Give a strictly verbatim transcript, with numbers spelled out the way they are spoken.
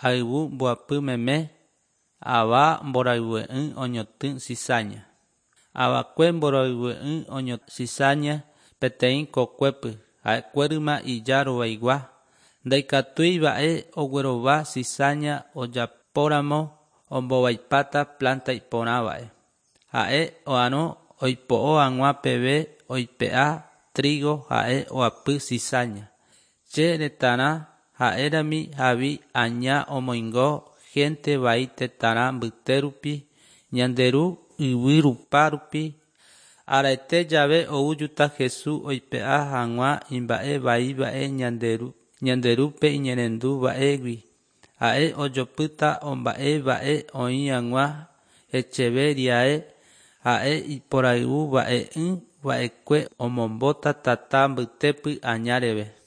Ayvu mboapy meme, Ava mborayhue'ỹ oñotỹ cizaña. Avakue mborayhue'ỹ oñotỹ cizaña peteĩ kokuépy, ha'ekuéryma ija rovaigua. Ndaikatúi va'e oguerova cizaña ojapóramo ombovaipáta planta iporã va'e. Ha'e oarõ oipo'o hag̃ua peve oipe'a trigo ha'e oapy cizaña. Che retãrã ha'érami havi aña omoingo gente vai tetãrã mbytérupi Ñande Ru yvy rupa rupi Araete jave oújuta Jesús oipe'a hag̃ua imba'e vaíva'e Ñande Rúpe iñe'ẽrendu va'egui ha'e ojopýta omba'e va'e oĩ hag̃ua hecheve riae ha'e iporayhu va'e'ỹ va'ekue omombóta tata mbytépy aña reve.